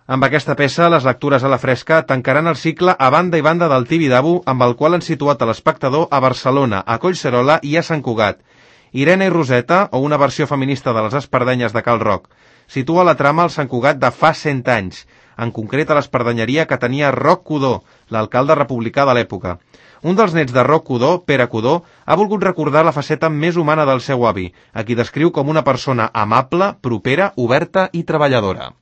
Amb aquesta peça, les lectures a la fresca tancaran el cicle A banda i banda del Tibidabo, amb el qual han situat a l'espectador a Barcelona, a Collserola i a Sant Cugat. Irene i Roseta, o una versió feminista de les espardenyes de Cal Roc. Situa la trama al Sant Cugat de fa 100 anys, en concret a l'espardenyeria que tenia Roc Codó, l'alcalde republicà de l'època. Un dels nets de Roc Codó, Pere Codó, ha volgut recordar la faceta més humana del seu avi, a qui descriu com una persona amable, propera, oberta i treballadora.